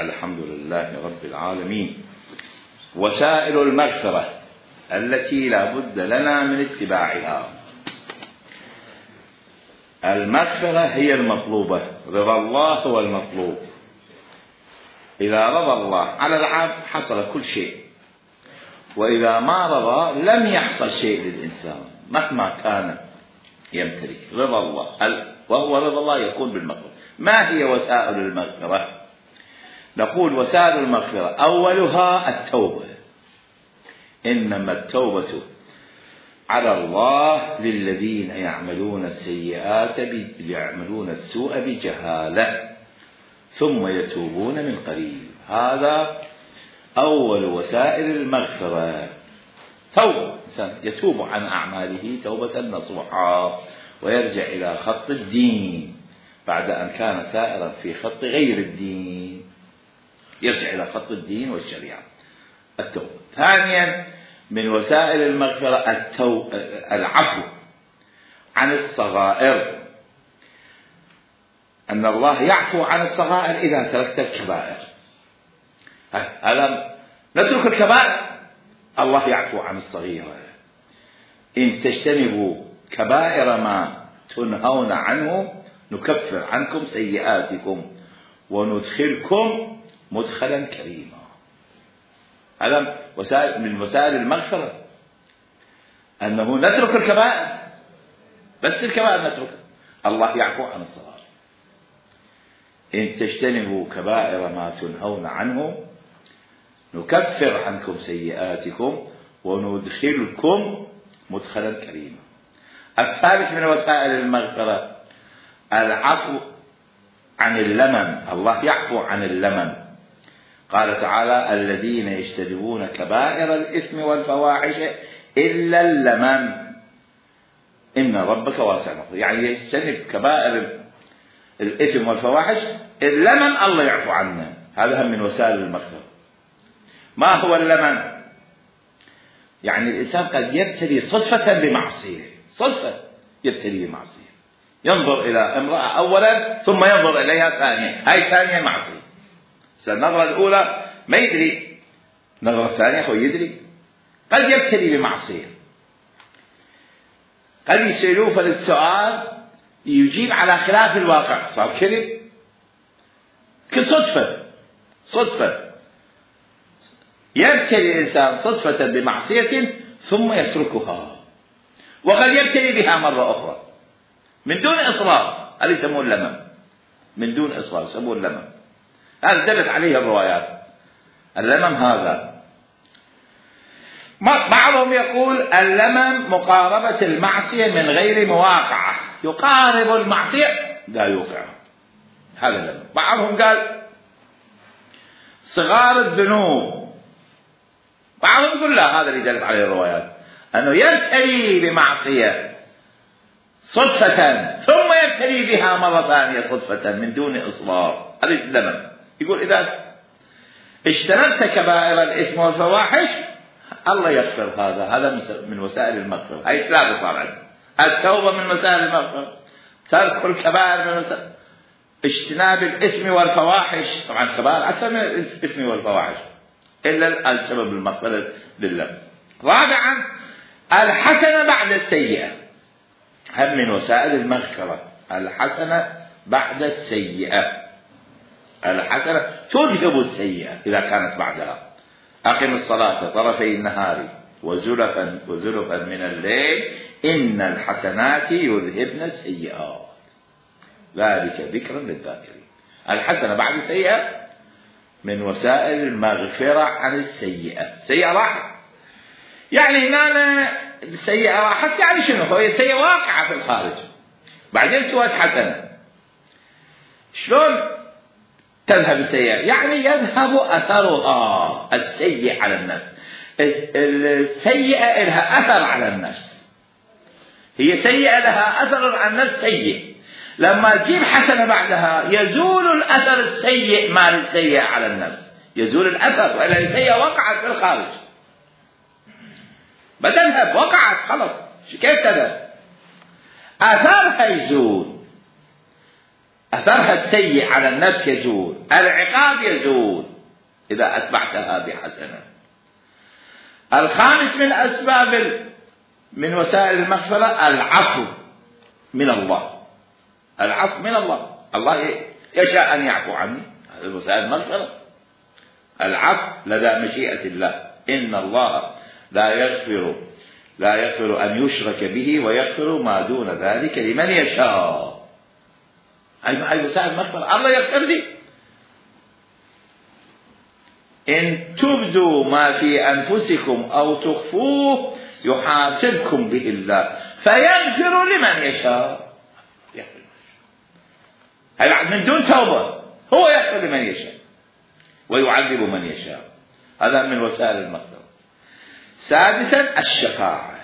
الحمد لله رب العالمين. وسائل المغفرة التي لا بد لنا من اتباعها. المغفرة هي المطلوبة، رضا الله هو المطلوب. إذا رضى الله على العبد حصل كل شيء، وإذا ما رضى لم يحصل شيء للإنسان مهما كان يمتلك. رضا الله، وهو رضا الله يكون بالمغفرة. ما هي وسائل المغفرة؟ نقول وسائل المغفرة أولها التوبة. إنما التوبة على الله للذين يعملون السيئات يعملون السوء بجهالة ثم يتوبون من قريب. هذا أول وسائل المغفرة. توبة، يتوب عن أعماله توبة نصوحا ويرجع إلى خط الدين بعد أن كان سائرا في خط غير الدين، يرجع إلى خط الدين والشريعة. التوبة. ثانيا من وسائل المغفرة العفو عن الصغائر، أن الله يعفو عن الصغائر إذا تركت الكبائر. ألم نترك الكبائر؟ الله يعفو عن الصغيرة. إن تجتنبوا كبائر ما تنهون عنه نكفر عنكم سيئاتكم وندخلكم مدخلا كريما. ألم من وسائل المغفرة أنه نترك الكبائر، بس الكبائر نترك، الله يعفو عن الصغائر. إن تجتنبوا كبائر ما تنهون عنه نكفر عنكم سيئاتكم وندخلكم مدخلا كريما. الثالث من وسائل المغفرة العفو عن اللمم. الله يعفو عن اللمم. قال تعالى الذين يجتنبون كبائر الإثم والفواحش إلا اللمم إن ربك واسع المغفرة. يعني يجتنب كبائر الإثم والفواحش، اللمم الله يعفو عنه. هذا هم من وسائل المغفرة. ما هو اللمم؟ يعني الإنسان قد يبتلي صدفة بمعصية، صدفة يبتلي بمعصية، ينظر إلى امرأة أولا ثم ينظر إليها ثانيا، هاي ثانية معصية. النظرة الأولى ما يدري، النظرة الثانية هو يدري. قد يبتلي بمعصية، قد يسألوه فالسؤال يجيب على خلاف الواقع، صار كذب كصدفة. صدفة يبتلي الإنسان صدفة بمعصية ثم يتركها، وقد يبتلي بها مرة أخرى من دون إصرار. هذا يسموه اللمم، من دون إصرار يسموه اللمم. هذا دلت عليه الروايات. اللمم هذا بعضهم يقول اللمم مقاربة المعصية من غير مواقعة، يقارب المعصية لا يوقع، هذا اللمم. بعضهم قال صغار الذنوب، بعضهم يقول لا، هذا اللي دلت عليه الروايات، أنه يبتلي بمعصية صدفة ثم يبتلي بها مرة ثانية صدفة من دون إصرار، هذا اللمم. يقول إذا اجتنبت كبائر الإثم والفواحش الله يغفر. هذا من وسائل المغفرة. هاي ثلاثة صار عندنا. التوبة من وسائل المغفرة، ترك الكبائر من وسائل، اجتناب الإثم والفواحش. طبعا الكبائر أكثر من الإثم والفواحش إلا السبب المغفرة لله. رابعا الحسنة بعد السيئة، هم من وسائل المغفرة. الحسنة بعد السيئة، الحسنة تذهب السيئة إذا كانت بعدها. أقم الصلاة طرفي النهار وزلفا من الليل إن الحسنات يذهبن السيئات ذلك ذكرا للذاكرين. الحسنة بعد السيئة من وسائل المغفرة عن السيئة. سيئة راحت، يعني هنا السيئة راحت، يعني شنو؟ هو السيئة واقعة في الخارج بعدين سوت حسنة. شلون تذهب السيئة؟ يعني يذهب أثرها السيء على النفس. السيئة لها أثر على النفس، هي سيئة لها أثر على النفس سيء. لما تجيب حسنة بعدها يزول الأثر السيء مال السيئة على النفس، يزول الأثر، وإلا السيئة وقعت في الخارج بتذهب، وقعت خلص، كيف تذهب؟ أثرها يزول. أثرها السيء على النفس يزول، العقاب يزول إذا أتبعتها بحسنة. الخامس من أسباب من وسائل المغفرة العفو من الله. العفو من الله، الله يشاء أن يعفو عني، هذه وسائل المغفرة. العفو لدى مشيئة الله، إن الله لا يغفر أن يشرك به ويغفر ما دون ذلك لمن يشاء. أي وسائل المغفرة، الله يغفر لي. إن تبدوا ما في أنفسكم أو تخفوه يحاسبكم به الله فيغفر لمن يشاء. هذا من دون توبة، هو يغفر لمن يشاء ويعذب من يشاء. هذا من وسائل المغفرة. سادسا الشفاعة.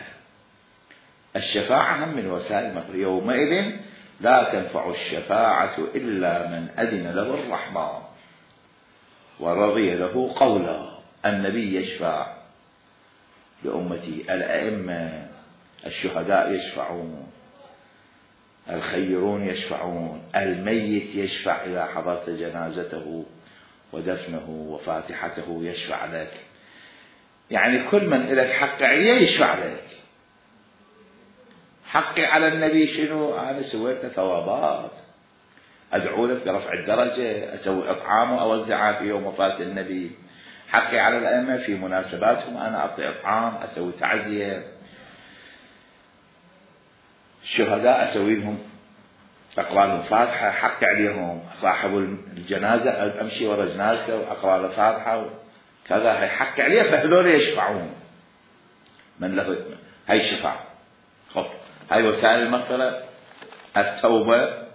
الشفاعة هم من وسائل المغفرة. يومئذ لا تنفع الشفاعة إلا من أذن له الرحمن ورضي له قولا. النبي يشفع لأمتي، الأئمة، الشهداء يشفعون، الخيرون يشفعون، الميت يشفع إذا حضرت جنازته ودفنه وفاتحته يشفع لك. يعني كل من لك حق عليه يشفع لك. حقي على النبي شنو؟ أنا سويت ثوابات، أدعو لك برفع الدرجة، أسوي إطعام وأوزعها في يوم وفاة النبي. حقي على الأئمة في مناسباتهم أنا أعطي إطعام، أسوي تعزية. الشهداء أسوي لهم أقرأ لهم فاتحة، حقي عليهم. صاحب الجنازة أمشي ورا جنازته وأقرأ له فاتحة كذا، هي حقي عليه، فهذول يشفعون. من له هاي الشفاعة. خب هاي وسائل المغفرة: التوبة،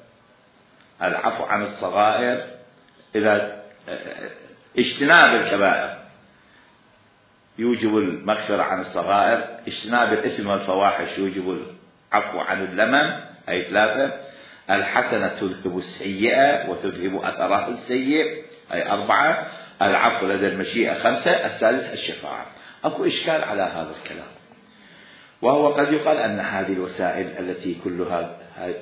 العفو عن الصغائر، إذا اجتناب الكبائر يوجب المغفرة عن الصغائر، اجتناب الإثم والفواحش يوجب العفو عن اللمم، أي 3. الحسنة تذهب السيئة وتذهب أثرها السيء، أي 4. العفو لدى المشيئة، 5. السادس الشفاعة. أكو إشكال على هذا الكلام، وهو قد يقال أن هذه الوسائل التي كلها هاي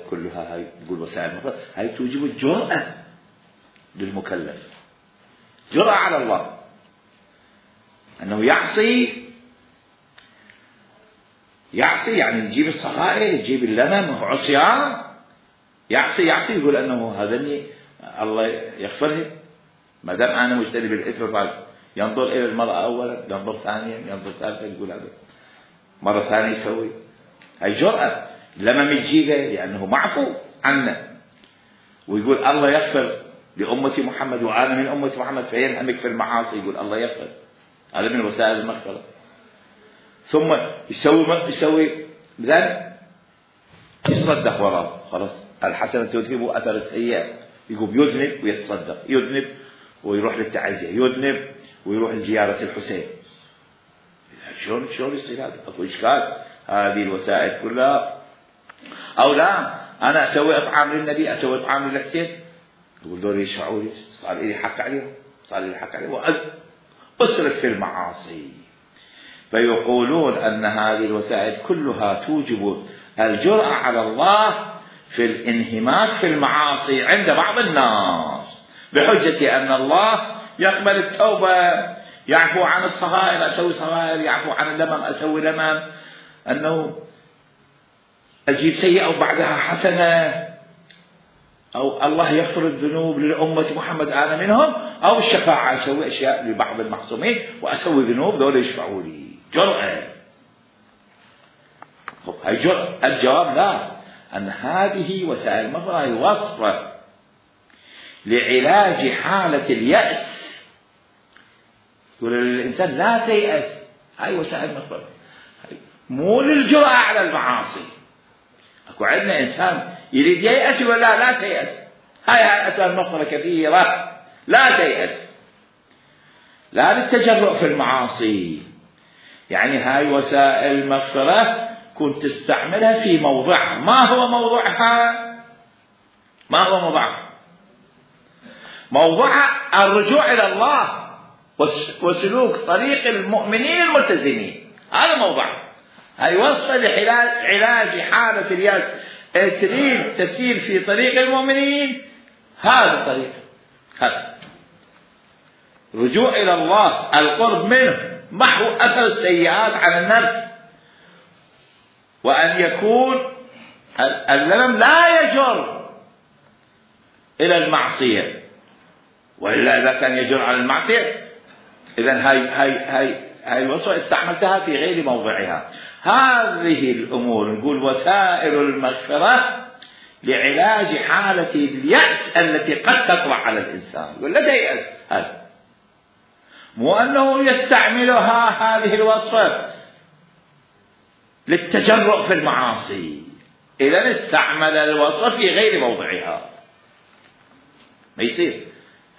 نقول وسائل المغفرة، هاي توجب الجرأة للمكلف، جرأة على الله أنه يعصي، يعني يجيب الصغائر، يجيب اللمم وعصيان، يعصي يقول أنه هذا الله يغفره ما دام أنا مجتنب الإثم. ينظر إلى المرأة أولا، ينظر ثانيا، ينظر ثالثا، يقول هذا مرة ثانية يسوي. هاي جرأة. لمم يجيبه لأنه معفو عنه، ويقول الله يغفر لأمتي محمد وأنا من أمة محمد، فينهمك في المعاصي يقول الله يغفر. هذا من وسائل المغفرة. ثم يسوي ذلك، يصدق وراه، خلاص الحسنة تذهب أثر السيئة، يقوم يذنب ويتصدق، يذنب ويروح للتعزية، يذنب ويروح لزيارة الحسين. شلون يصير هذا؟ أكو إشكال. هذه الوسائل كلها. أو لا، أنا أسوي إطعام للنبي، أسوي إطعام للحسين، يقول دول يشفعوا لي، صار لي حق عليهم، وأسرف في المعاصي. فيقولون أن هذه الوسائل كلها توجب الجرأة على الله في الانهماك في المعاصي عند بعض الناس، بحجة أن الله يقبل التوبة، يعفو عن الصغائر، أسوي صغائر، يعفو عن اللمم، أسوي لمم، أنه أجيب سيئة وبعدها حسنة، أو الله يغفر الذنوب للأمة محمد أنا منهم، أو الشفاعة، أسوي أشياء لبعض المحصومين وأسوي ذنوب دول يشفعوا لي. جرأة. هاي جرأة. الجواب لا، أن هذه وسائل المغفرة وصفة لعلاج حالة اليأس. يقول للإنسان لا تيأس، هاي وسائل المغفرة، مو للجرأة على المعاصي. أكو عندنا إنسان يريد ييأس ولا لا تيأس، هاي وسائل المغفرة كثيرة، لا تيأس، لا للتجرؤ في المعاصي. يعني هاي وسائل المغفرة كنت تستعملها في موضعها. ما هو موضوعها؟ موضوعها الرجوع إلى الله وسلوك طريق المؤمنين الملتزمين، هذا موضوعها. هاي وصفة لعلاج حالة اليأس. تريد تسير في طريق المؤمنين، هذا الطريق، هذا رجوع إلى الله، القرب منه، محو أثر السيئات على النفس، وأن يكون اللمم لا يجر إلى المعصية، وإلا إذا كان يجر على المعصية إذن هاي الوصفة استعملتها في غير موضعها. هذه الأمور نقول وسائل المغفرة لعلاج حالة اليأس التي قد تطرأ على الإنسان، يقول لا تيأس، هذا مو أنه يستعملها هذه الوصفة للتجرؤ في المعاصي، إذا استعمل الوصفة في غير موضعها ما يصير.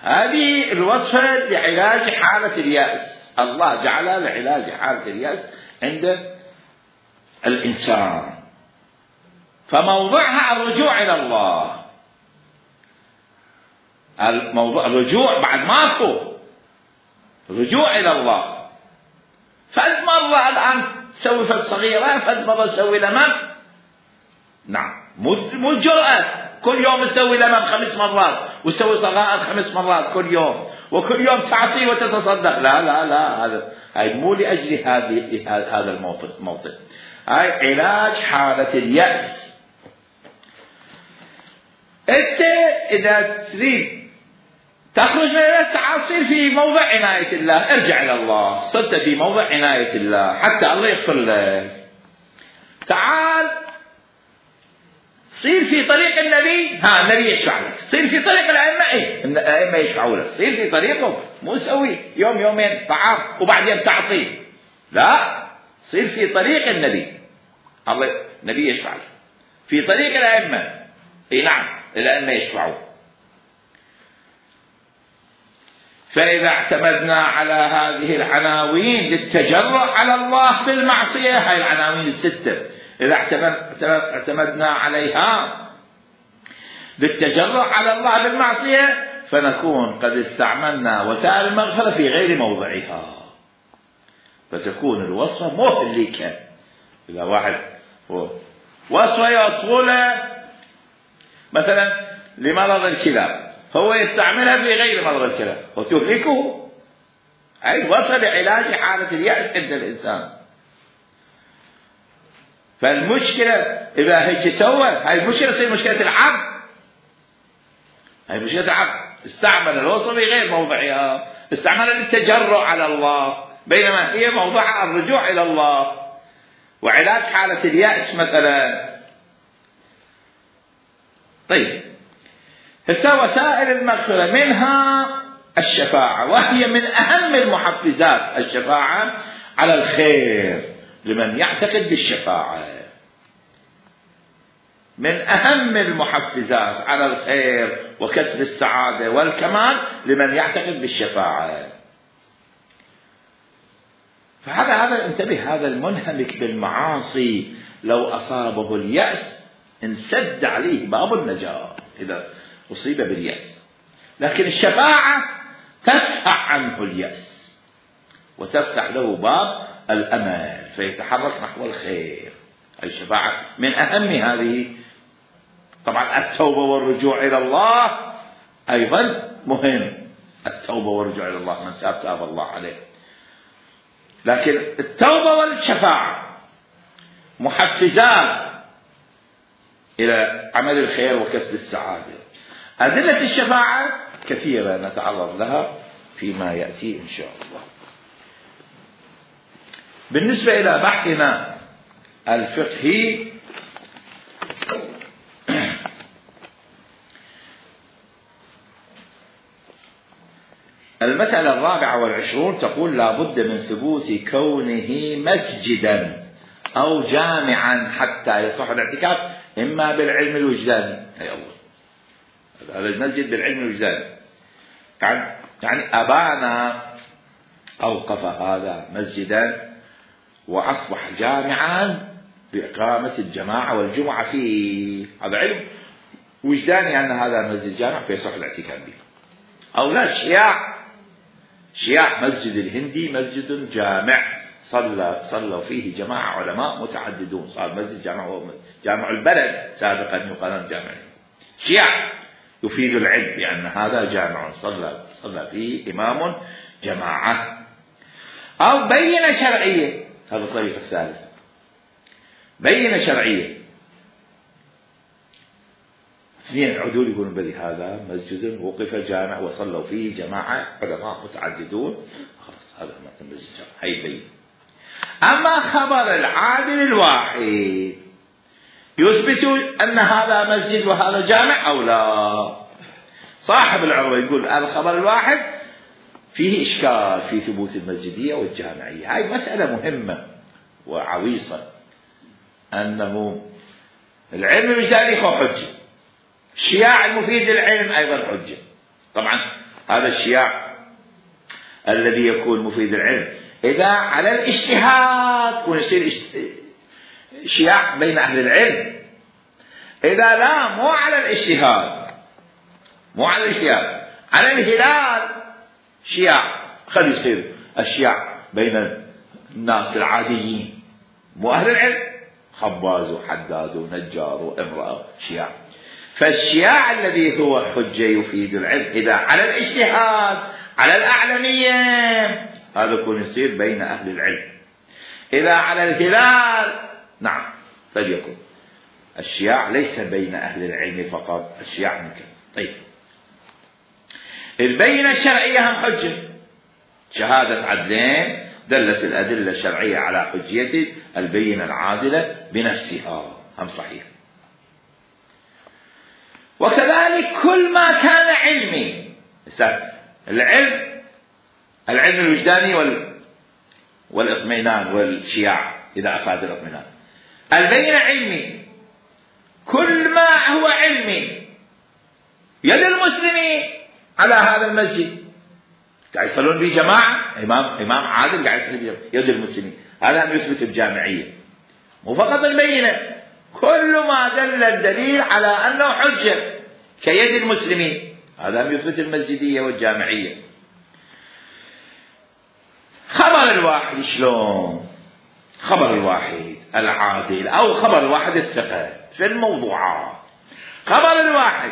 هذه الوصفة لعلاج حالة اليأس، الله جعلها لعلاج حالة اليأس عند الإنسان، فموضعها الرجوع إلى الله. الموضوع الرجوع بعد ماكو رجوع إلى الله. فد مرة الآن تسوي فد صغيرة، فد مرة تسوي لمم، نعم، مو الجرأة كل يوم تسوي لمم 5 مرات وتسوي صغائر 5 مرات كل يوم، وكل يوم تعصي وتتصدق، لا لا لا، هاي مو لأجل هذا الموطن. هاي علاج حالة اليأس. انت اذا تريد تخرج من اليأس تعال صير في موضع عناية الله، ارجع الى الله، صرت في موضع عناية الله حتى الله يغفر لك. تعال صير في طريق النبي، النبي يشفع لك، صير في طريق الأئمة، الأئمة يشفعوا لك، صير في طريقهم، مو سوي يوم يومين طعام وبعدين تعطي، لا، صير في طريق النبي، الله النبي يشفع لك في طريق الأئمة، اي نعم الأئمة يشفعوا. فإذا اعتمدنا على هذه العناوين للتجرؤ على الله بالمعصية، هاي العناوين الستة، إذا اعتمدنا عليها للتجرؤ على الله بالمعصية فنكون قد استعملنا وسائل المغفرة في غير موضعها، فتكون الوصفة مهلكة. إذا واحد وصفة يوصفونه مثلا لمرض الكلى، هو يستعملها في غير مرض الكلى وتهلكه. أي وصل لعلاج حالة اليأس عند الإنسان. فالمشكلة إذا هيك سوى، هاي المشكلة تصير مشكلة العقل، هاي مشكلة العقل، استعمل الوصفة في غير موضعها، استعمل للتجرؤ على الله، بينما هي موضوعها الرجوع إلى الله وعلاج حالة اليأس مثلا. طيب، هسه وسائل المغفرة منها الشفاعة، وهي من أهم المحفزات، الشفاعة على الخير لمن يعتقد بالشفاعة، من أهم المحفزات على الخير وكسب السعادة والكمال لمن يعتقد بالشفاعة. فهذا انتبه، هذا المنهمك بالمعاصي لو أصابه اليأس انسد عليه باب النجاة إذا أصيب باليأس، لكن الشفاعة تدفع عنه اليأس وتفتح له باب الأمل فيتحرك نحو الخير. الشفاعة من أهم هذه. طبعا التوبة والرجوع إلى الله أيضا مهم، التوبة والرجوع إلى الله، من تاب الله عليه. لكن التوبة والشفاعة محفزات إلى عمل الخير وكسب السعادة. أدلة الشفاعة كثيرة نتعرض لها فيما يأتي إن شاء الله. بالنسبة إلى بحثنا الفقهي، المسألة 24 تقول لا بد من ثبوت كونه مسجدا أو جامعا حتى يصح الاعتكاف، إما بالعلم الوجداني، أي الله هذا المسجد بالعلم الوجداني، يعني أبانا أوقف هذا مسجدا وأصبح جامعا بإقامة الجماعة والجمعة فيه، هذا علم وجداني أن هذا مسجد جامع فيصح الاعتكاف به. أو لا، شياع مسجد الهندي مسجد جامع صلوا فيه جماعة علماء متعددون، صار مسجد جامع، جامع البلد سابقا يقال جامع. شياع يفيد العلم بأن هذا جامع صلى فيه إمام جماعة. أو بينة شرعية، هذا الطريق الثالث، بينة شرعية. اثنين العدول يقولون بلي هذا مسجد وقف جامع وصلوا فيه جماعة علماء متعددون، خلاص هذا مثل مسجد جامع، هي بين. أما خبر العادل الواحد يثبت أن هذا مسجد وهذا جامع أو لا. صاحب العروة يقول الخبر الواحد فيه إشكال في ثبوت المسجدية والجامعية. هاي مسألة مهمة وعويصة، أنه العلم الوجداني هو حجة، الشياع المفيد للعلم أيضا حجة. طبعا هذا الشياع الذي يكون مفيد للعلم إذا على الاجتهاد يكون يصير شياع بين أهل العلم، إذا لا مو على الاجتهاد، مو على الاجتهاد، على الهلال شياع، خلي يصير الشياع بين الناس العاديين مو أهل العلم، خباز وحداد ونجار وامرأة شياع. فالشياع الذي هو حجة يفيد العلم إذا على الاجتهاد على الأعلمية هذا يكون يصير بين أهل العلم. إذا على الهلال نعم فليكن الشياع ليس بين أهل العلم فقط، الشياع ممكن. طيب البينة الشرعية هم حجة، شهادة عدلين دلت الأدلة الشرعية على حجية البينة العادلة بنفسها هم صحيح. وكذلك كل ما كان علمي، العلم الوجداني والاطمئنان والشياع إذا أفاد الاطمئنان، البينة علمي، كل ما هو علمي يد المسلمين على هذا المسجد قاعد يصلون به جماعة، إمام عادل قاعد يصلي به يد المسلمين، هذا يثبت الجامعية. مو فقط البينة، كل ما دل الدليل على أنه حجة كيد المسلمين هذا يثبت المسجدية والجامعية. خبر الواحد شلون؟ خبر الواحد العادل أو خبر الواحد الثقة في الموضوعات، خبر الواحد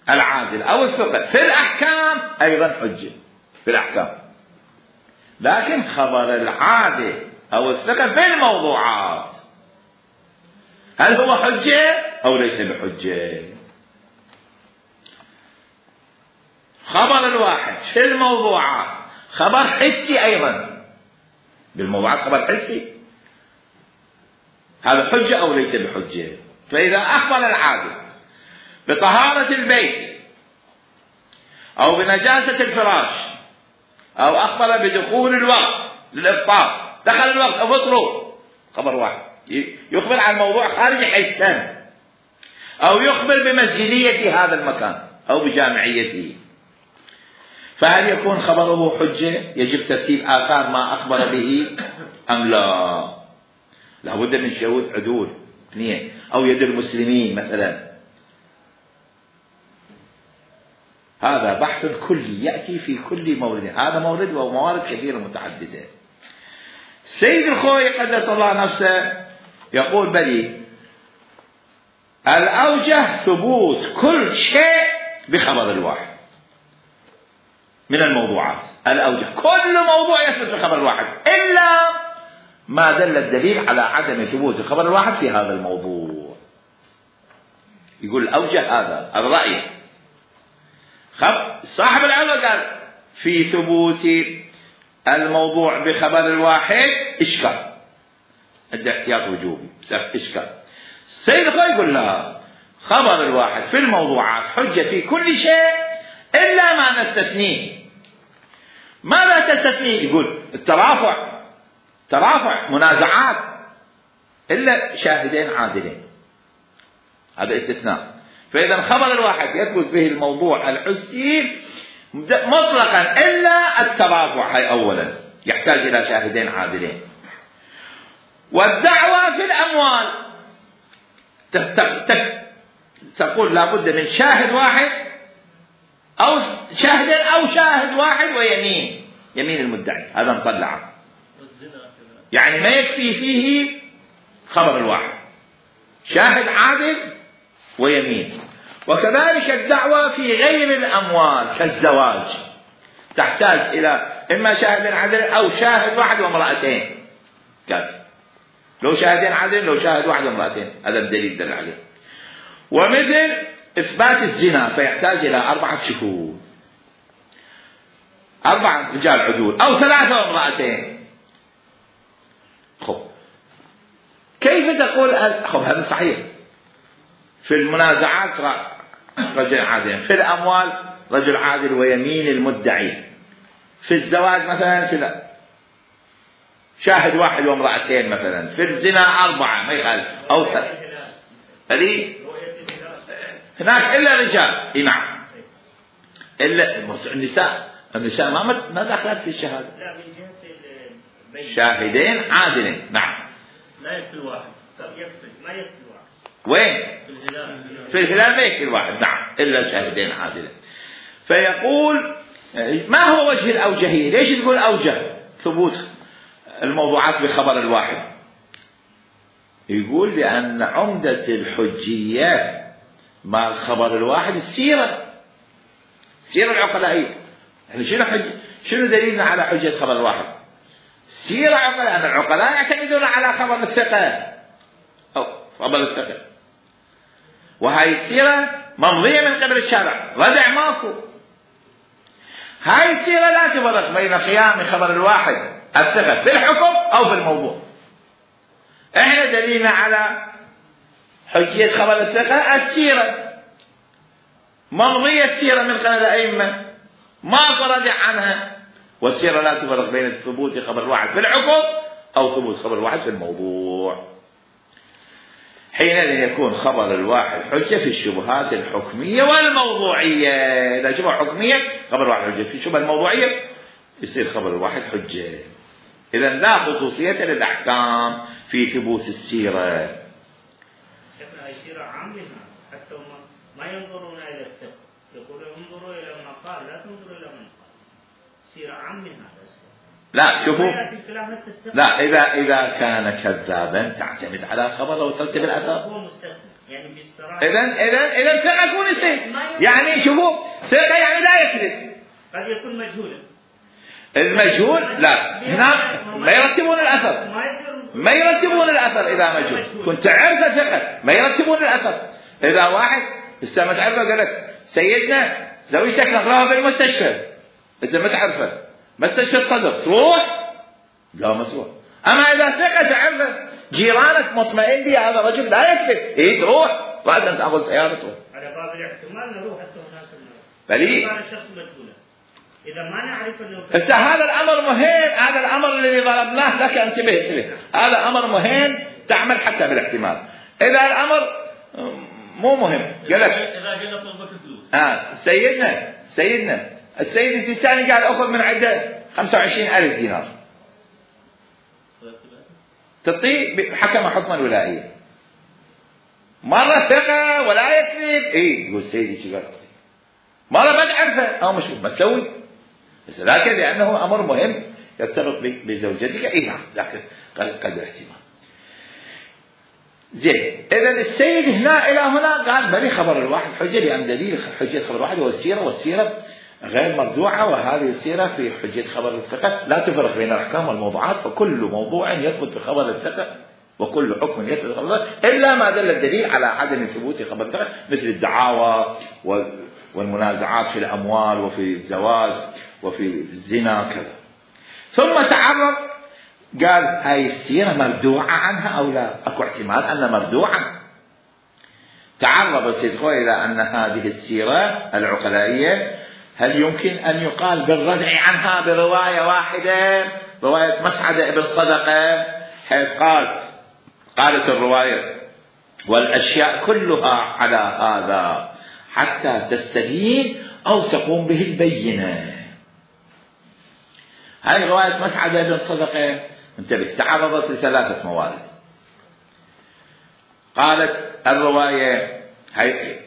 العادل أو الثقة في الأحكام أيضا حجة في الأحكام، لكن خبر العادل أو الثقة في الموضوعات هل هو حجة أو ليس بحجة؟ خبر الواحد في الموضوعات خبر حسي أيضا، بالموضوعات خبر حسي، هذا حجة أو ليس بحجة؟ فإذا أخبر العادل بطهارة البيت أو بنجاسة الفراش أو أخبر بدخول الوقت للإفطار، دخل الوقت أفطروا، خبر واحد يخبر عن موضوع خارج حسن، أو يخبر بمسجدية هذا المكان أو بجامعيته، فهل يكون خبره حجة؟ يجب ترتيب آثار ما أخبر به أم لا؟ لابد من شهود عدول اثنين أو يد المسلمين مثلا. هذا بحث كلي يأتي في كل مورد، هذا مورد وموارد كثيرة متعددة. سيد الخوي قدس الله نفسه يقول بلي الأوجه ثبوت كل شيء بخبر الواحد من الموضوعات، الأوجه كل موضوع يثبت بخبر الواحد إلا ما دل الدليل على عدم ثبوت الخبر الواحد في هذا الموضوع. يقول الأوجه هذا الرأي. صاحب العلم قال في ثبوت الموضوع بخبر الواحد إشكال، عنده احتياط وجوبي إشكال. السيد الخوي يقول لا، خبر الواحد في الموضوعات حجة في كل شيء إلا ما نستثنيه. ماذا تستثنيه؟ يقول ترافع منازعات إلا شاهدين عادلين، هذا استثناء. فإذا خبر الواحد يثبت به الموضوع الحسي مطلقا إلا الترافع، هي أولا يحتاج إلى شاهدين عادلين. والدعوة في الأموال تقول لابد من شاهد واحد أو شاهدين أو شاهد واحد ويمين، يمين المدعي هذا مطلع، يعني ما يكفي فيه خبر الواحد، شاهد عادل ويمين. وكذلك الدعوة في غير الأموال كالزواج تحتاج إلى إما شاهد عدل أو شاهد واحد وامرأتين كافي. لو شاهدين عدل، لو شاهد واحد وامرأتين، هذا الدليل دل عليه. ومثل إثبات الزنا فيحتاج إلى 4 شهود، 4 رجال عدول أو 3 وامرأتين. كيف تقول هذا صحيح؟ في المنازعات رجل عادل، في الأموال رجل عادل ويمين المدعي، في الزواج مثلا كذا شاهد واحد وامرأتين مثلا، في الزنا 4 ما يخالف أو 3. هناك إلا رجال. نعم، إلا النساء ما دخلت في الشهادة. شاهدين عادلين. نعم، لا يكفي الواحد، ما يكفي الواحد. وين؟ في الهلال ما يكفي الواحد. نعم، إلا شاهدين عادلين. فيقول ما هو وجه الأوجهية؟ ليش تقول أوجه ثبوت الموضوعات بخبر الواحد؟ يقول لأن عمدة الحجية مع الخبر الواحد السيرة العقلائية. يعني شنو دليلنا على حجة خبر الواحد؟ سيرة عقلاء، أن العقلاء يعتمدون على خبر الثقة أو خبر الثقة، وهاي السيرة ممضية من قبل الشارع، ردع ماكو. هاي السيرة لا تفرق بين قيام خبر الواحد الثقة في الحكم أو في الموضوع. احنا دليلنا على حجية خبر الثقة السيرة، ممضية السيرة من قبل الأئمة، ماكو ردع عنها. والسيرة لا تفرق بين ثبوت خبر واحد في الحكم أو ثبوت خبر واحد في الموضوع. حينئذ يكون خبر الواحد حجة في الشبهات الحكمية والموضوعية. إذا شبهة حكمية خبر واحد حجة، في الشبهة الموضوعية يصير خبر الواحد حجة. إذا لا خصوصية للأحكام في ثبوت السيرة. شفنا هاي سيرة عامة، حتى ما ينظرون إلى الثقة، يقولون انظروا إلى ما قال، لا تنظروا إلى من قال. سيرة عامة هذا. لا شوفوا، لا إذا كان كذابا تعتمد على خبره وترتب الأثر. إذا ثقة يكون يصير، يعني شوفوا ثقة يعني لا يكذب. قد يكون مجهولا. المجهول لا، هنا ما يرتبون الأثر إذا مجهول. كنت تعرف ثقة ما يرتبون الأثر. إذا واحد لسه ما تعرفه قال لك سيدنا زوجتك نقراها في المستشفى، إذا ما تعرفه مستشفى الصدر تروح؟ لا ما تروح. أما إذا ثقة تعرفه جيرانك مطمئن بي هذا الرجل لا يكذب، تروح بعد أن تأخذ سيارته. على باب الاحتمال نروح حتى هناك بلي الشخص مجهولا. إذا ما نعرف أنه هذا الأمر مهم، هذا الأمر الذي ضربناه لك انتبه، هذا أمر مهم تعمل حتى بالاحتمال. إذا الأمر مو مهم قال لك إذا جينا طلبك فلوس سيدنا السيد السيستاني قال أخذ من عنده 25,000 دينار تعطيه، حكم حكما ولاء، مرة ثقة ولا يكذب. يقول سيدي شو قال، مرة ما تعرفه أو مش ما تسوي، بس لكن لأنه أمر مهم يرتبط بزوجتك. نعم، لكن قد احتمال. زين، إذا السيد هنا إلى هنا قال بلي خبر الواحد حجة، لأن دليل حجة خبر الواحد هو السيرة، والسيرة غير مرجوعة، وهذه السيرة في حجة خبر الثقة لا تفرق بين الأحكام والموضوعات، فكل موضوع يثبت بخبر الثقة وكل حكم يثبت بخبر الثقة إلا ما دل الدليل على عدم ثبوت خبر الثقة، مثل الدعاوى والمنازعات في الأموال وفي الزواج وفي الزنا كذا. ثم تعرض قال هاي السيرة مردوعة عنها أو لا؟ أكو احتمال أن مردوعة. تعرض السيد إلى أن هذه السيرة العقلائية هل يمكن أن يقال بالردع عنها برواية واحدة، رواية مسعدة ابن صدقة، حيث قالت الرواية والأشياء كلها على هذا حتى تستبين أو تقوم به البينة. هذه رواية مسعدة ابن صدقة انتبه تعرضت ل3 موارد. قالت الرواية هي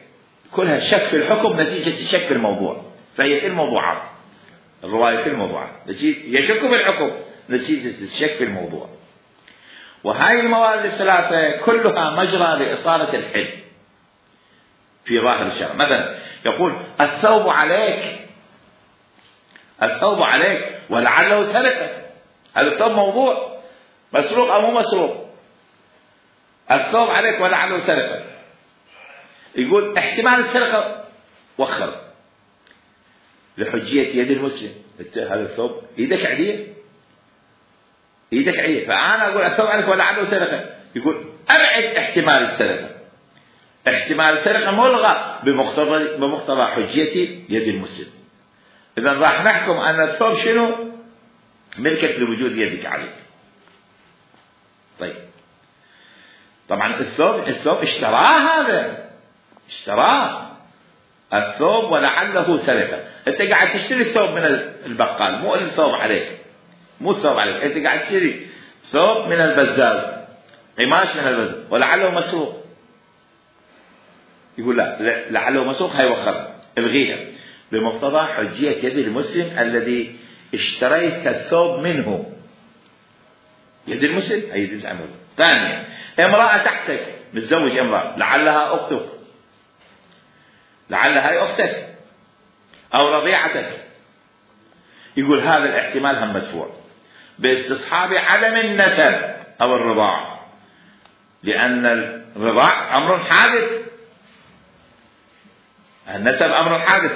كلها شك في الحكم نتيجة الشك في الموضوع، فهي في الموضوعات، الرواية في الموضوعات يشك في الحكم نتيجة الشك في الموضوع. وهذه الموارد ال3 كلها مجرى لإصالة الحل، في ظاهر الشرع. مثلا يقول الثوب عليك، الثوب عليك ولعله سرقة. هذا الثوب موضوع مسروق أو مو مسروق. الثوب عليك ولعله سرقة. يقول احتمال السرقة وخر لحجية يد المسلم. هذا الثوب ايدك عدية، ايدك عدية، فأنا أقول الثوب عليك ولعله سرقة. يقول أبعد احتمال السرقة. احتمال السرقة ملغى بمقتضى حجية يد المسلم. إذا راح نحكم أن الثوب شنو؟ ملكك لوجود يدك عليك. طيب طبعا الثوب اشتراه، هذا اشتراه الثوب ولعله سرقة. انت قاعد تشتري الثوب من البقال، مو الثوب عليك، مو الثوب عليك، انت قاعد تشتري ثوب من البزاز، قماش من البزاز، ولعله مسروق. يقول لا، لعله مسروق، هاي وخر، الغيها بمقتضى حجية يد المسلم الذي اشتريت الثوب منه. يد المسلم هي يد العمل. ثانيا امرأة تحتك، متزوج امرأة، لعلها أختك، لعلها هي أختك أو رضيعتك. يقول هذا الاحتمال هم مدفوع باستصحاب عدم النسب أو الرضاع، لأن الرضاع أمر حادث، النسب أمر حادث،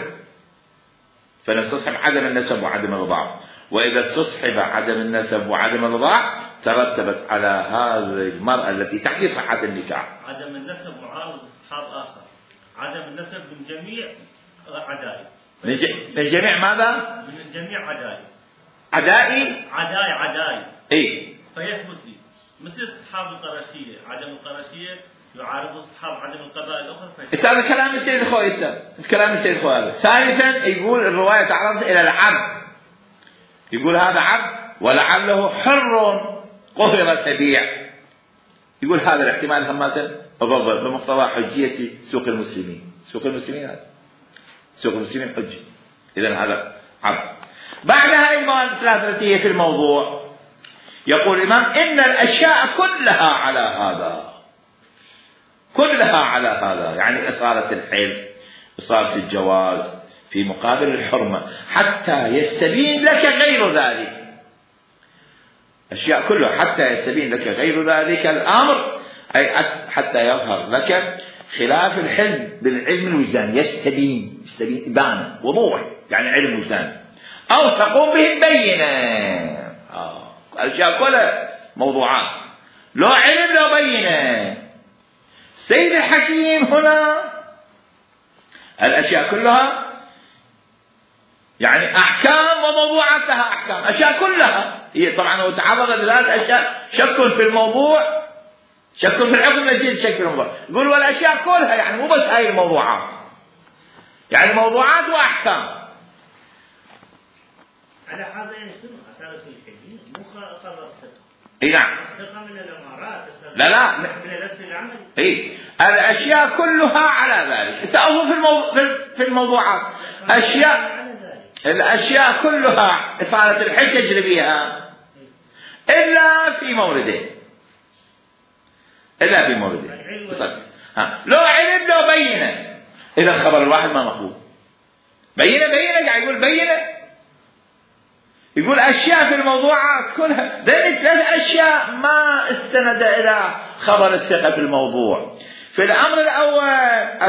فنستصحب عدم النسب وعدم الرضاع. وإذا استصحب عدم النسب وعدم الرضاع ترتبت على هذه المرأة التي تحكي صحة النكاح. عدم النسب معارض استصحاب آخر، عدم النسب من جميع عدائي، من جميع ماذا؟ من جميع عدائي. عدائي؟ عدائي إيه؟ فيثبت لي مثل استصحاب القرشية، عدم القرشية يعارض استصحاب عدم القبائل الأخرى. هذا كلام السيد الخوئي، كلام السيد الخوئي هذا. ثالثا يقول الرواية تعرض إلى العبد، يقول هذا عبد ولعله حر قهر تبيع. يقول هذا الاحتمال همة أضرب بمقتضى حجية سوق المسلمين. سوق المسلمين هذا سوق المسلمين حجة، إذن هذا عبد. بعدها أيضا ثلاثة في الموضوع يقول الإمام إن الأشياء كلها على هذا، كلها على هذا، يعني إصالة الحل، إصالة الجواز في مقابل الحرمة، حتى يستبين لك غير ذلك. أشياء كلها حتى يستبين لك غير ذلك الأمر، أي حتى يظهر لك خلاف الحلم بالعلم الوجدان. يستبين إبانة وضوح، يعني علم وجدان، أو تقوم به البينة. الأشياء كلها موضوعات، لو علم لو بينة. سيد الحكيم هنا الأشياء كلها يعني أحكام وموضوعات لها أحكام، أشياء كلها هي طبعا هو تعرض لثلاث أشياء، شك في الموضوع، شك في الحكم نتيجة شك في الموضوع. يقول والأشياء كلها يعني مو بس هاي الموضوعات، يعني موضوعات وأحكام. على هذا يكون أسالة الحديث مو خبر الثقة. اي نعم. الثقة من الإمارات. لا من الأصل العملي. اي الأشياء كلها على ذلك. سأظهر في الموضوعات أشياء، الأشياء كلها إصالة الحل تجري بها إلا في موردين، إلا في موردين. لو علم لو بينه، إذا الخبر الواحد ما مقبول. بينه قاعد يقول بينه، يقول أشياء في الموضوعات كلها. ذلك ثلاث أشياء ما استند إلى خبر الثقة في الموضوع. في الأمر الأول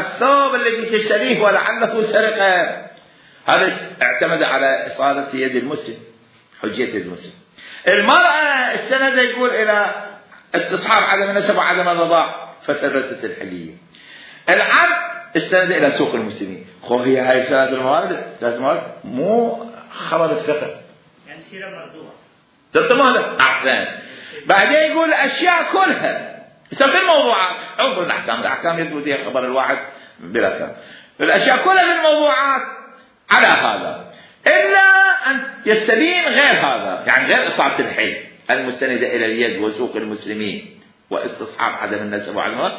الثوب الذي تشتريه ولعله سرقة، هذا اعتمد على إصالة يد المسلم، حجية يد المسلم. المرأة استند يقول إلى استصحاب عدم النسب وعدم الرضاع فثبتت الحلية. العبد استند إلى سوق المسلمين. هي هاي ثلاث موارد مو خبر الثقة، يعني سيرة مردوعة. تمام أحسن. بعدين يقول الأشياء كلها في الموضوعات، انظر الأحكام يثبت فيها خبر الواحد بلا كلام. الأشياء كلها في الموضوعات على هذا، إلا أن يستبين غير هذا، يعني غير إصابة الحل المستندة إلى اليد وسوق المسلمين واستصحاب عدم النسب وعدم الرضاع،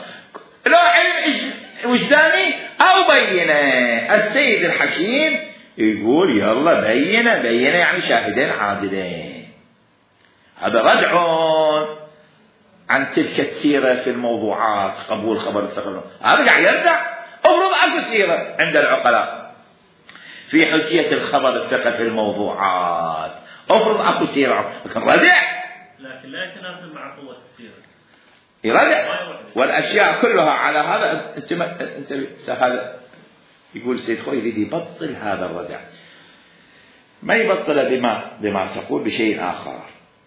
لو علم وجداني أو بينة. السيد الحكيم يقول يلا بينة يعني شاهدين عادلين. هذا ردع عن تلك السيرة في الموضوعات، قبول خبر الثقة. هذا قاعد يرجع افرض اكو سيرة عند العقلاء في حجية الخبر الثقة في الموضوعات، افرض اكو سيرة لكن ردع، لكن لا يتناسب مع قوة السيرة، يردع والاشياء كلها على هذا. انت هذا يقول سيد خوي يريد يبطل هذا الردع، ما يبطل بما تقول بشيء اخر،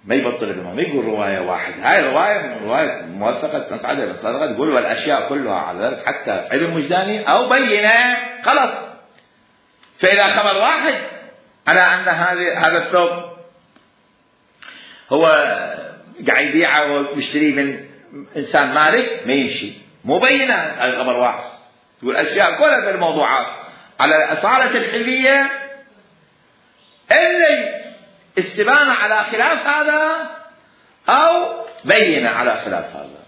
ما يبطل بما ما يقول روايه واحد. هاي روايه موثقه مسعد بن صدقه تقول والاشياء كلها على ذلك حتى علم وجداني او بينه خلص. فاذا خبر واحد على ان هذا الثوب هو قاعد يبيعه ويشتريه من انسان مالك ما يمشي، مو بينه هذا خبر واحد. تقول اشياء كلها في الموضوعات على الاصاله الحليه اللي استبانة على خلاف هذا أو بينة على خلاف هذا.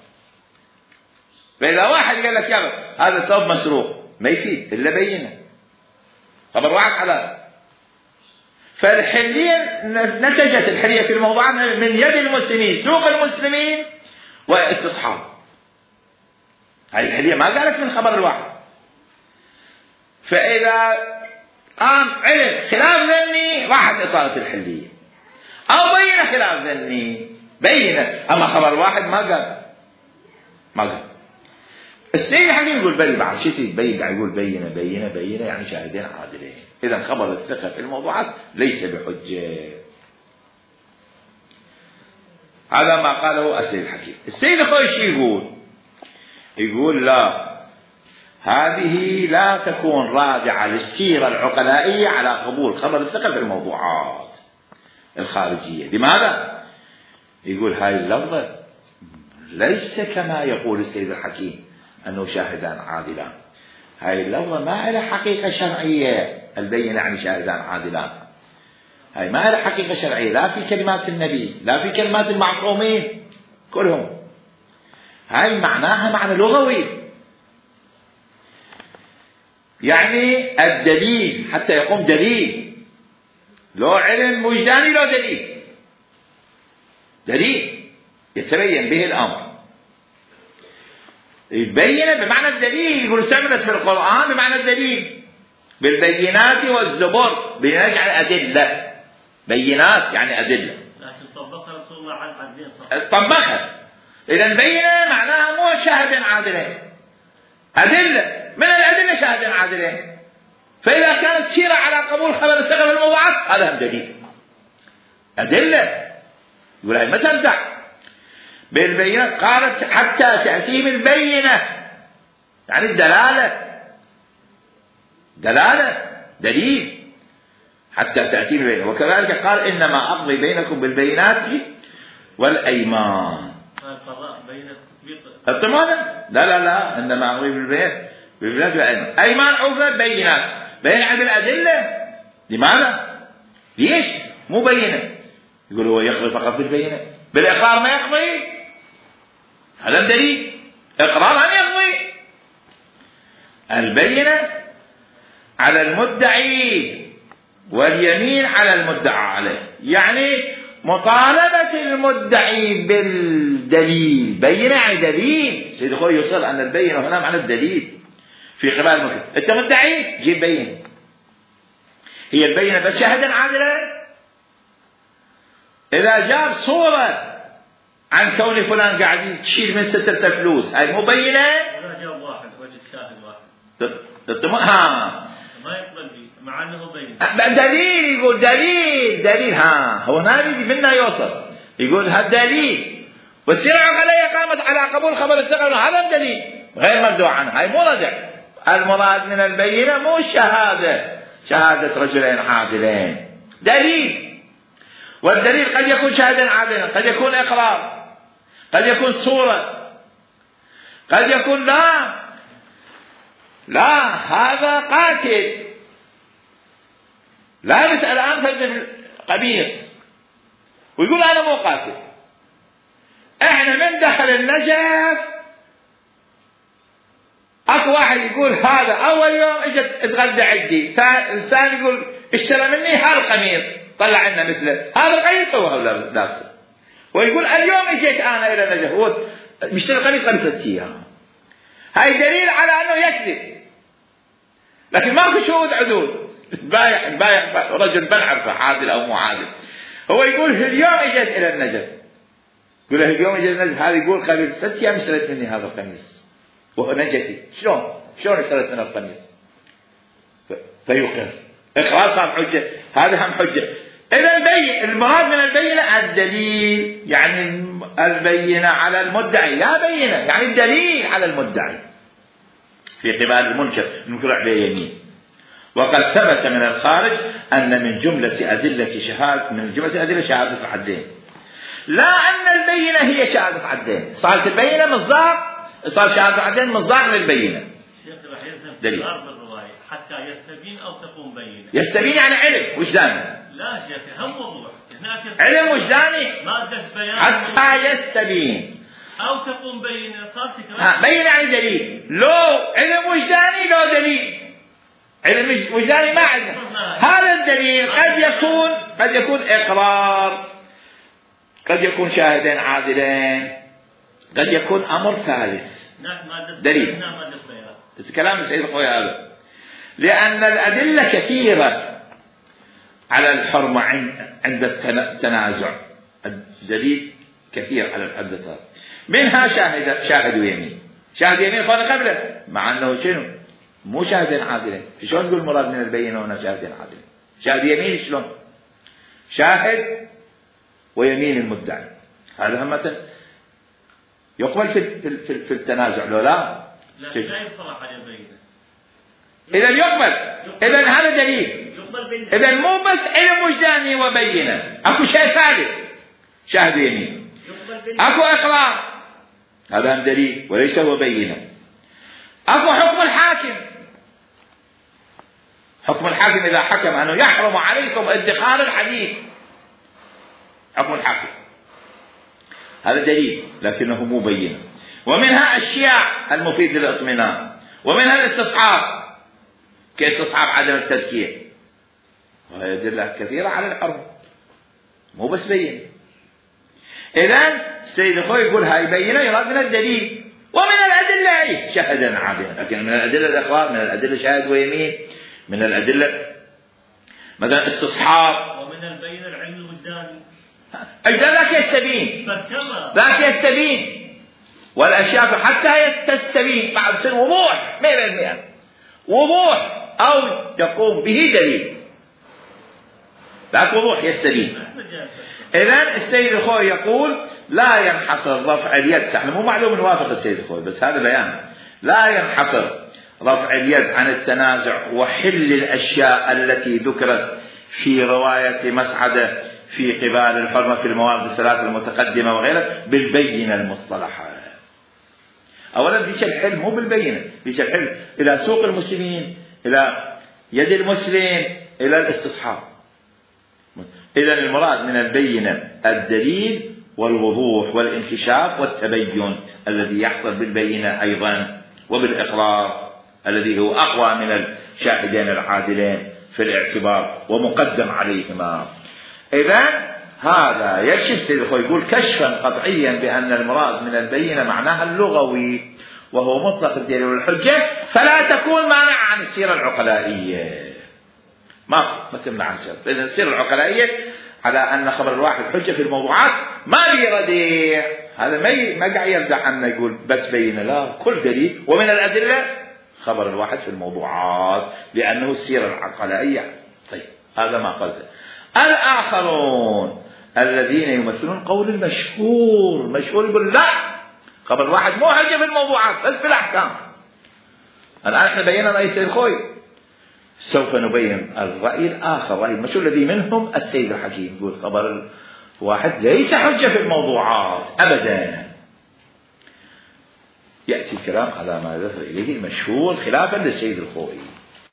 فإذا واحد قال لك يا هذا الثوب مسروق ما يفيد إلا بينة، خبر واحد على. فالحلية نتجت الحلية في الموضوعات من يد المسلمين، سوق المسلمين واستصحاب. هذه الحلية ما قالت من خبر الواحد. فإذا قام علم خلاف ذني راحت إطالة الحلية، أو بينة خلاف ذني بينة، أما خبر واحد ما قال. السيد الحكيم يقول بل بعد شيء يبين، يقول بينة يعني شاهدين عادلين. إذا خبر الثقة في الموضوعات ليس بحجة. هذا ما قاله السيد الحكيم. السيد الخويش يقول لا، هذه لا تكون راجعة للسيرة العقلائية على قبول خبر الثقة في الموضوعات الخارجية. لماذا؟ يقول هاي اللفظة ليس كما يقول السيد الحكيم أنه شاهدان عادلان. هاي اللفظة ما لها حقيقة شرعية، البينة يعني شاهدان عادلان. هاي ما لها حقيقة شرعية لا في كلمات النبي لا في كلمات المعصومين كلهم. هاي معناها معنى لغوي، يعني الدليل حتى يقوم دليل، لو علم وجداني لو دليل يتبين به الأمر. يبين بمعنى الدليل، يقول استعملت في القرآن بمعنى الدليل بالبينات والزبر، بينات يعني أدلة، بينات يعني أدلة. لكن طبقها رسول الله على العدلين طبقها. إذا بينة معناها مو شاهد عادلين، أدلة من الأدلة شاهد عادلين. فإذا كانت سيرة على قبول خبر الثقة في الموضوعات هذا هم دليل أدلة. يقول هاي ما تنفع بالبينات، قالت حتى تأتيهم البينة يعني دلالة دليل حتى تأتيهم البينة. وكذلك قال إنما أقضي بينكم بالبينات والأيمان. لا إنما أقضي بالبينات والأيمان. أيمان عوفة بينات، بين عند الأدلة. لماذا؟ ليش مو بينة؟ يقول هو يقضي فقط بالبينة، بالإقرار ما يقضي، هذا دليل إقرار أن يقضي. البينة على المدعي واليمين على المدعى عليه، يعني مطالبة المدعي بالدليل. بينة يعني دليل. سيد أخوي يوصل أن البينة هنا معنى الدليل في قبال المكتب. أنت مدعي جيب بينة، هي البينة بس شاهدا عادلا. إذا جاب صورة عن كون فلان قاعد تشيل من سترة فلوس، هاي مو بينة. ولا جاب واحد وجد شاهد واحد ما يقبل به مع أنه بينة. دليل، يقول دليل هو ناري منا يوصل، يقول هذا دليل. والسيرة العقلية قامت على قبول خبر الثقة، هذا دليل غير مرجوع عنه. هاي مو رجع. المراد من البينة مو شهادة رجلين عادلين، دليل. والدليل قد يكون شاهدا عادلا، قد يكون إقرار، قد يكون صورة، قد يكون لا هذا قاتل لابس الآن في القميص ويقول أنا مو قاتل. احنا من دخل النجف اكو واحد يقول هذا اول يوم اجت اتغدى عندي، الثاني يقول اشترى مني هذا القميص طلع لنا مثله، هذا القميص هو لابسه، ويقول اليوم اجيت انا الى نجف هو بيشتري القميص قبل 3 ايام. هاي دليل على انه يكذب. لكن ماكو شهود عدول. بايع رجل بنعرفه عادل او مو عادل، هو يقول اليوم اجت الى النجف، يقول له اليوم اجت النجف، هذا يقول قبل 6 ايام اشتريت مني هذا القميص وهو نجفي. شلون اشتريت من القميص؟ فيقر، اقرار صار حجه، هذا هم حجه. اذا المراد من البينه الدليل، يعني البينه على المدعي، لا بينه يعني الدليل على المدعي في قبال المنكر عليه يمين. وقد ثبت من الخارج أن من جملة أدلة شهادة العدلين، لا أن البينة هي شهادة عدلين. صارت البينة مصداق، صار شهادة العدلين مصداق للبينة. شيخ راح يلزم تكرار بالرواية حتى يستبين أو تقوم بينة. يستبين يعني علم وجداني. لا شيخ هم وضوح هناك علم وجداني مادة بيان حتى يستبين أو تقوم بينة. صار تكرار. بينة يعني دليل، لو علم وجداني لو دليل. علم وجداني ما عندنا هذا الدليل. قد يكون إقرار، قد يكون شاهدين عادلين، قد يكون أمر ثالث دليل. كلام السيد الخوي هذا، لأن الأدلة كثيرة على الحرمة عند التنازع. الدليل كثير على الحدث، منها شاهد ويمين. شاهد يمين قال قبله، مع أنه شنو؟ مو شاهدين عادلين. شلون نقول مراد من البينة هنا شاهدين عادلين؟ شاهد يمين شلون؟ شاهد ويمين المدعي، هذا هم يقبل في التنازع لو لا؟ لا يصرح على البينة. إذا يقبل. إذا هذا دليل. إذا مو بس علم وجداني وبينة، أكو شيء ثالث شاهد يمين، أكو إقرار، هذا هم دليل وليس هو بينة. أكو حكم الحاكم. حكم الحاكم إذا حكم أنه يحرم عليكم ادخار الحديث، حكم الحاكم هذا دليل لكنه مو بينة. ومنها أشياء المفيد للإطمئنان، ومنها الاستصحاب كاستصحاب عدم التذكير، وهي أدلة كثيرة على الحرم مو بس بينة. إذن السيد الخوي يقول هاي بينة يراد من الدليل، ومن الأدلة شهدا عادلا، لكن من الأدلة الإقرار، من الأدلة شاهد ويمين، من الأدلة مثلا استصحاب، ومن البينة العلم الوجداني. ذاك يستبين والأشياء حتى تستبين بعد سن وضوح 100% وضوح أو يقوم به دليل، ذاك وضوح يستبين. إذن السيد الخوي يقول لا ينحصر رفع اليد، احنا مو معلوم نوافق السيد الخوي بس هذا بيان، لا ينحصر رفع اليد عن التنازع وحل الأشياء التي ذكرت في رواية مسعدة في قبال الحرمة في الموارد الثلاث المتقدمة وغيرها بالبينة المصطلحة. أولا ليش الحل مو بالبينة، ليش الحل إلى سوق المسلمين، إلى يد المسلم، إلى الاستصحاب. إذن المراد من البينة الدليل والوضوح والانكشاف والتبين الذي يحصل بالبينة أيضا، وبالإقرار الذي هو أقوى من الشاهدين العادلين في الاعتبار ومقدم عليهما. إذن هذا يكشف سيد الخوي يقول كشفا قطعيا بأن المراد من البينة معناها اللغوي وهو مطلق الدليل والحجة، فلا تكون مانع عن السيرة العقلائية. ما تمنع عن السيرة العقلائية على أن خبر الواحد حجة في الموضوعات ما بيرديع، هذا ما قاعد يردع عنه يقول بس بينة، لا كل دليل ومن الأدلة خبر الواحد في الموضوعات لأنه السيرة العقلائية. طيب هذا ما قصده. الآخرون الذين يمثلون قول المشهور يقول لا خبر الواحد مو حجة في الموضوعات بس في الأحكام. الآن احنا بينا رأي السيد الخوي، سوف نبين الرأي الآخر، رأي المشهور الذي منهم السيد الحكيم يقول خبر الواحد ليس حجة في الموضوعات أبدا. يأتي الكلام على ما ذكر إليه المشهور خلافا للسيد الخوي.